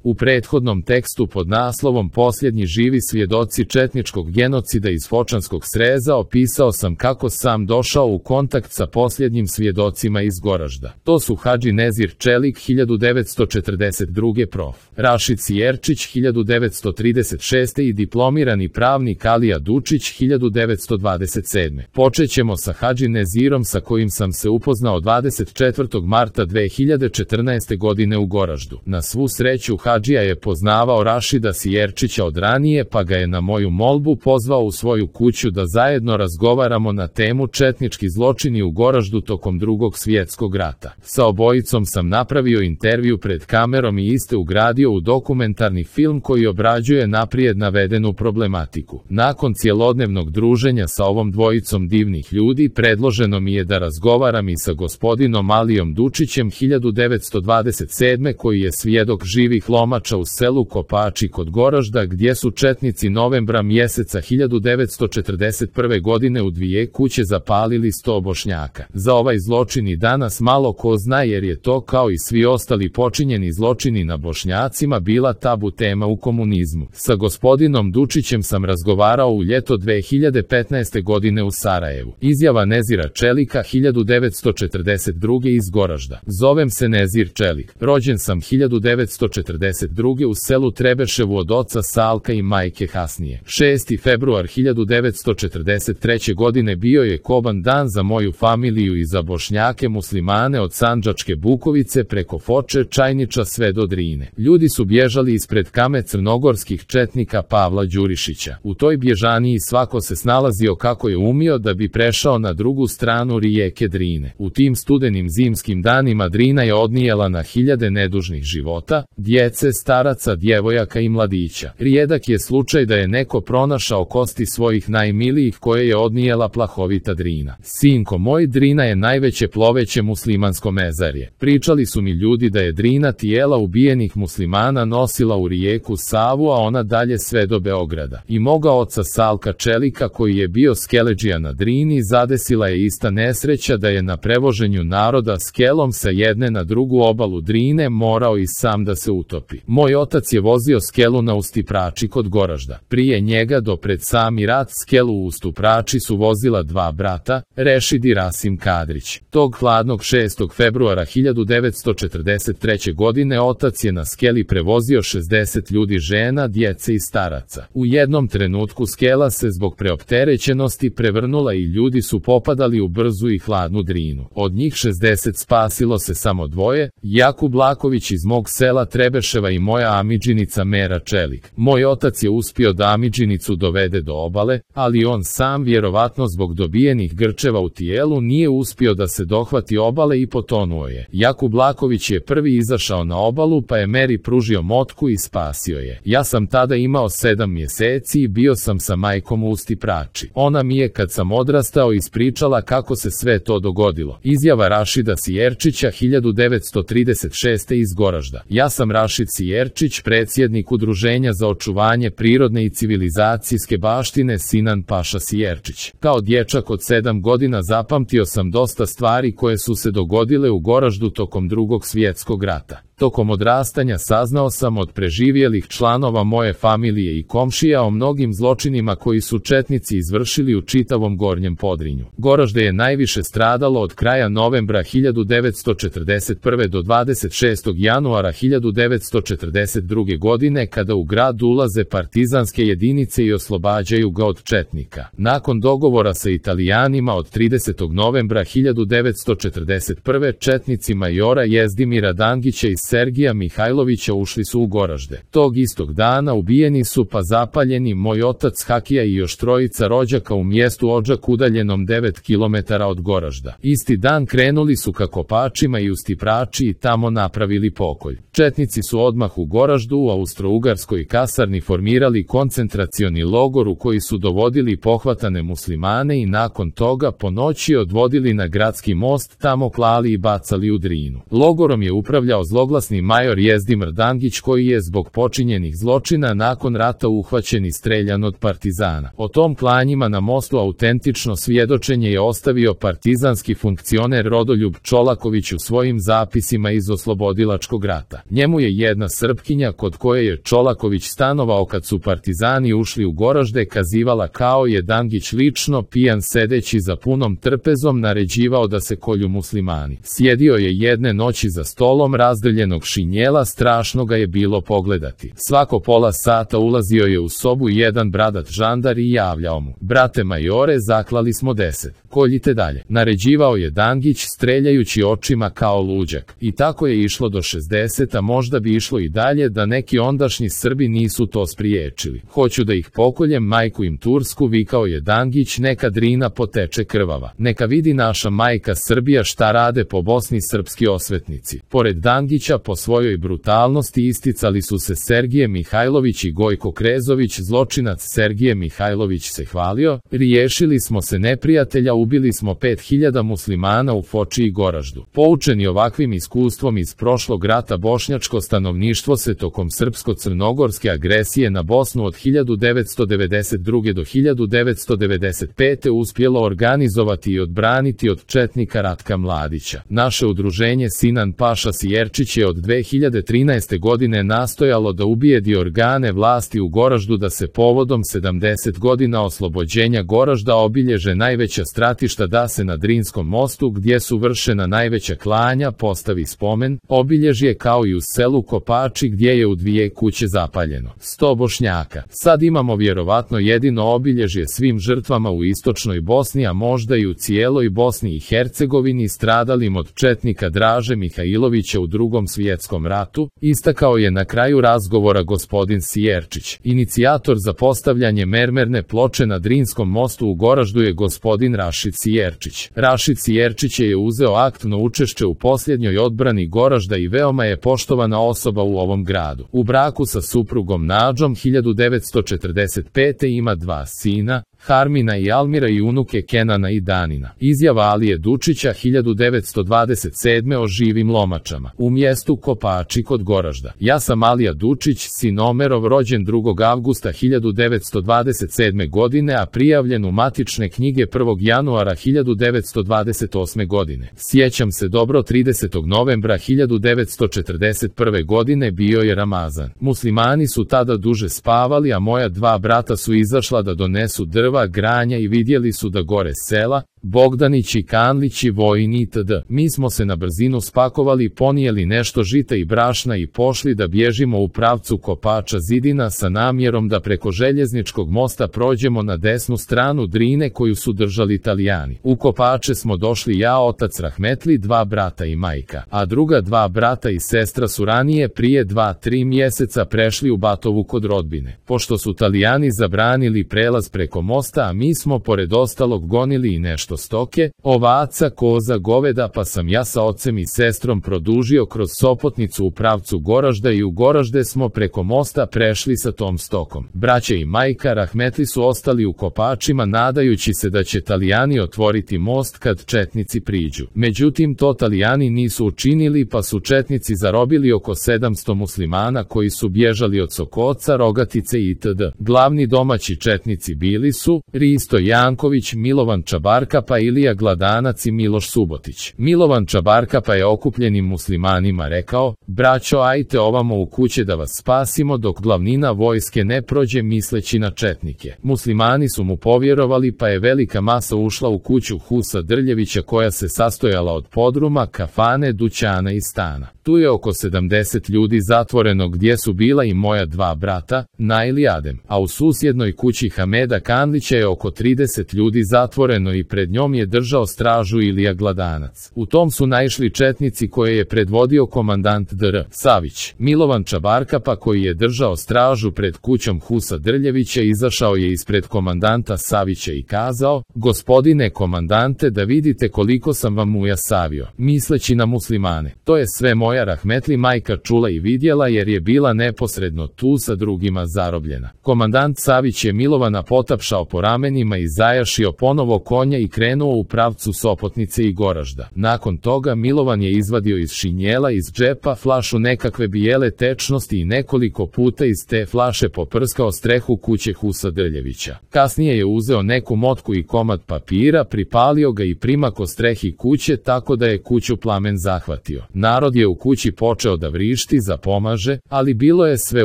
U prethodnom tekstu pod naslovom Posljednji živi svjedoci četničkog genocida iz Fočanskog Sreza opisao sam kako sam došao u kontakt sa posljednjim svjedocima iz Goražda. To su Hadži Nezir Čelik 1942. prof. Rašid Sijerčić 1936. i diplomirani pravnik Alija Dučić 1927. Počećemo sa Hadži Nezirom sa kojim sam se upoznao 24. marta 2014. godine u Goraždu. Na svu sreću Hadžija je poznavao Rašida Sijerčića od ranije, pa ga je na moju molbu pozvao u svoju kuću da zajedno razgovaramo na temu četnički zločini u Goraždu tokom Drugog svjetskog rata. Sa obojicom sam napravio intervju pred kamerom i iste ugradio u dokumentarni film koji obrađuje naprijed navedenu problematiku. Nakon cjelodnevnog druženja sa ovom dvojicom divnih ljudi, predloženo mi je da razgovaram i sa gospodinom Alijom Dučićem 1927. koji je svjedok živih lomača u selu Kopači kod Goražda, gdje su četnici novembra mjeseca 1941. godine u 2 kuće zapalili 100 Bošnjaka. Za ovaj zločin i danas malo ko zna, jer je to, kao i svi ostali počinjeni zločini na Bošnjacima, bila tabu tema u komunizmu. Sa gospodinom Dučićem sam razgovarao u ljeto 2015. godine u Sarajevu. Izjava Nezira Čelika 1942. iz Goražda. Zovem se Nezir Čelik. Rođen sam 1942. u selu Trebeševu od oca Salka i majke Hasnije. 6. februar 1943. godine bio je koban dan za moju familiju i za Bošnjake muslimane od Sandžačke Bukovice preko Foče, Čajniča sve do Drine. Ljudi su bježali ispred kame crnogorskih četnika Pavla Đurišića. U toj bježaniji svako se snalazio kako je umio da bi prešao na drugu stranu rijeke Drine. U tim studenim zimskim danima Drina je odnijela na hiljade nedužnih života, djece, staraca, djevojaka i mladića. Rijedak je slučaj da je neko pronašao kosti svojih najmilijih koje je odnijela plahovita Drina. Sinko moj, Drina je najveće ploveće muslimansko mezarje. Pričali su mi ljudi da je Drina tijela ubijenih muslimana nosila u rijeku Savu, a ona dalje sve do Beograda. I moga oca Salka Čelika, koji je bio skeledžija na Drini, zadesila je ista nesreća da je na prevoženju naroda skelom sa jedne na drugu obalu Drine morao i sam da se utopi. Moj otac je vozio skelu na Ustiprači kod Goražda. Prije njega do pred sami rat skelu u Ustiprači su vozila 2 brata, Rešid i Rasim Kadrić. Tog hladnog 6. februara 1943. godine otac je na skeli prevozio 60 ljudi, žena, djece i staraca. U jednom trenutku skela se zbog preopterećenosti prevrnula i ljudi su popadali u brzu i hladnu Drinu. Od njih 60 spasilo se samo 2, Jakub Laković iz mog sela Trebeševa i moja amidžinica Mera Čelik. Moj otac je uspio da amidžinicu dovede do obale, ali on sam, vjerovatno zbog dobijenih grčeva u tijelu, nije uspio da se dohvati obale i potonuo je. Jakub Laković je prvi izašao na obalu, pa je Meri pružio motku i spasio je. Ja sam tada imao 7 mjeseci i bio sam sa majkom u Ustiprači. Ona mi je, kad sam odrastao, ispričala kako se sve to dogodilo. Izjava Rašida Sijerčića 1936. iz Goražda. Ja sam Rašid Sijerčić, predsjednik Udruženja za očuvanje prirodne i civilizacijske baštine Sinan Paša Sijerčić. Kao dječak od 7 godina zapamtio sam dosta stvari koje su se dogodile u Goraždu tokom Drugog svjetskog rata. Tokom odrastanja saznao sam od preživjelih članova moje familije i komšija o mnogim zločinima koji su četnici izvršili u čitavom Gornjem Podrinju. Goražde je najviše stradalo od kraja novembra 1941. do 26. januara 1942. godine, kada u grad ulaze partizanske jedinice i oslobađaju ga od četnika. Nakon dogovora sa Italijanima od 30. novembra 1941. četnici majora Jezdimira Dangića i Sergija Mihajlovića ušli su u Goražde. Tog istog dana ubijeni su pa zapaljeni moj otac Hakija i još 3 rođaka u mjestu Odžak udaljenom 9 km od Goražda. Isti dan krenuli su ka Kopačima i Ustiprači i tamo napravili pokolj. Četnici su odmah u Goraždu u austro-ugarskoj kasarni formirali koncentracioni logor u koji su dovodili pohvatane muslimane i nakon toga po noći odvodili na gradski most, tamo klali i bacali u Drinu. Logorom je upravljao zloglasni bezglasni major Jezdimir Dangić koji je zbog počinjenih zločina nakon rata uhvaćen i streljan od partizana. O tom klanjima na mostu autentično svjedočenje je ostavio partizanski funkcioner Rodoljub Čolaković u svojim zapisima iz oslobodilačkog rata. Njemu je jedna Srpkinja kod koje je Čolaković stanovao kad su partizani ušli u Goražde kazivala kao je Dangić lično pijan sedeći za punom trpezom naređivao da se kolju muslimani. Sjedio je jedne noći za stolom razdrljenog šinjela, strašno ga je bilo pogledati. Svako pola sata ulazio je u sobu jedan bradat žandar i javljao mu: brate majore, zaklali smo 10. Koljite dalje. Naređivao je Dangić streljajući očima kao luđak. I tako je išlo do 60, a možda bi išlo i dalje da neki ondašnji Srbi nisu to spriječili. Hoću da ih pokoljem, majku im tursku, vikao je Dangić, neka Drina poteče krvava. Neka vidi naša majka Srbija šta rade po Bosni srpski osvetnici. Pored Dangića po svojoj brutalnosti isticali su se Sergije Mihajlović i Gojko Krezović. Zločinac Sergije Mihajlović se hvalio: riješili smo se neprijatelja, ubili smo 5000 muslimana u Foči i Goraždu. Poučeni ovakvim iskustvom iz prošlog rata, bošnjačko stanovništvo se tokom srpsko-crnogorske agresije na Bosnu od 1992. do 1995. uspjelo organizovati i odbraniti od četnika Ratka Mladića. Naše udruženje Sinan Paša Sijerčić je od 2013. godine nastojalo da ubijedi organe vlasti u Goraždu da se povodom 70 godina oslobođenja Goražda obilježe najveća stratišta, da se na Drinskom mostu gdje su vršena najveća klanja postavi spomen obilježje kao i u selu Kopači gdje je u 2 kuće zapaljeno 100 Bošnjaka. Sad imamo vjerovatno jedino obilježje svim žrtvama u istočnoj Bosni, a možda i u cijeloj Bosni i Hercegovini stradalim od četnika Draže Mihajlovića u Drugom svjetskom ratu, istakao je na kraju razgovora gospodin Sijerčić. Inicijator za postavljanje mermerne ploče na Drinskom mostu u Goraždu je gospodin Rašid Sijerčić. Rašid Sijerčić je uzeo aktivno učešće u posljednjoj odbrani Goražda i veoma je poštovana osoba u ovom gradu. U braku sa suprugom Nađom 1945. ima 2 sina, Harmina i Almira, i unuke Kenana i Danina. Izjava Alije Dučića 1927. o živim lomačama. U mjestu Kopači kod Goražda. Ja sam Alija Dučić, sin Omerov, rođen 2. avgusta 1927. godine, a prijavljen u matične knjige 1. januara 1928. godine. Sjećam se dobro, 30. novembra 1941. godine bio je Ramazan. Muslimani su tada duže spavali, a moja 2 brata su izašla da donesu drva, granja i vidjeli su da gore sela, Bogdanić i Kanlići, Vojni itd. Mi smo se na brzinu spakovali, ponijeli nešto žita i brašna i pošli da bježimo u pravcu Kopača Zidina sa namjerom da preko željezničkog mosta prođemo na desnu stranu Drine koju su držali Italijani. U Kopače smo došli ja, otac Rahmetli, 2 brata i majka, a druga 2 brata i sestra su ranije prije 2-3 mjeseca prešli u Batovu kod rodbine. Pošto su Italijani zabranili prelaz preko mosta, a mi smo pored ostalog gonili i nešto stoke, ovaca, koza, goveda, pa sam ja sa ocem i sestrom produžio kroz Sopotnicu u pravcu Goražda i u Goražde smo preko mosta prešli sa tom stokom. Braća i majka Rahmetli su ostali u Kopačima nadajući se da će Italijani otvoriti most kad četnici priđu. Međutim, to Italijani nisu učinili, pa su četnici zarobili oko 700 muslimana koji su bježali od Sokoca, Rogatice itd. Glavni domaći četnici bili su Risto Janković, Milovan Čabarka pa Ilija Gladanac i Miloš Subotić. Milovan Čabarka pa je okupljenim muslimanima rekao: braćo, ajte ovamo u kuće da vas spasimo dok glavnina vojske ne prođe, misleći na četnike. Muslimani su mu povjerovali, pa je velika masa ušla u kuću Husa Drljevića koja se sastojala od podruma, kafane, dućana i stana. Tu je oko 70 ljudi zatvoreno gdje su bila i moja 2 brata, Nail i Adem, a u susjednoj kući Hameda Kanlića je oko 30 ljudi zatvoreno i pred njom je držao stražu Ilija Gladanac. U tom su naišli četnici koje je predvodio komandant Dr. Savić. Milovan Čabarka pa koji je držao stražu pred kućom Husa Drljevića izašao je ispred komandanta Savića i kazao: gospodine komandante, da vidite koliko sam vam muja savio, misleći na muslimane. To je sve moja Rahmetli majka čula i vidjela jer je bila neposredno tu sa drugima zarobljena. Komandant Savić je Milovana potapšao po ramenima i zajašio ponovo konja i krenuo u pravcu Sopotnice i Goražda. Nakon toga Milovan je izvadio iz šinjela iz džepa flašu nekakve bijele tečnosti i nekoliko puta iz te flaše poprskao strehu kuće Husa Drljevića. Kasnije je uzeo neku motku i komad papira, pripalio ga i primako strehi kuće tako da je kuću plamen zahvatio. Narod je u kući počeo da vrišti za pomaže, ali bilo je sve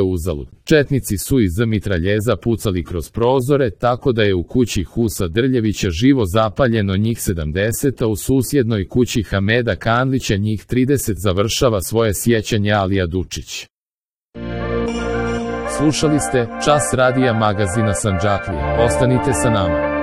uzalud. Četnici su iz mitraljeza pucali kroz prozore tako da je u kući Husa Drljevića živo zapaljeno njih 70, a u susjednoj kući Hameda Kanlića njih 30, završava svoje sjećanje Alija Dučić. Slušali ste Čas radija magazina Sandžaklija. Ostanite sa nama.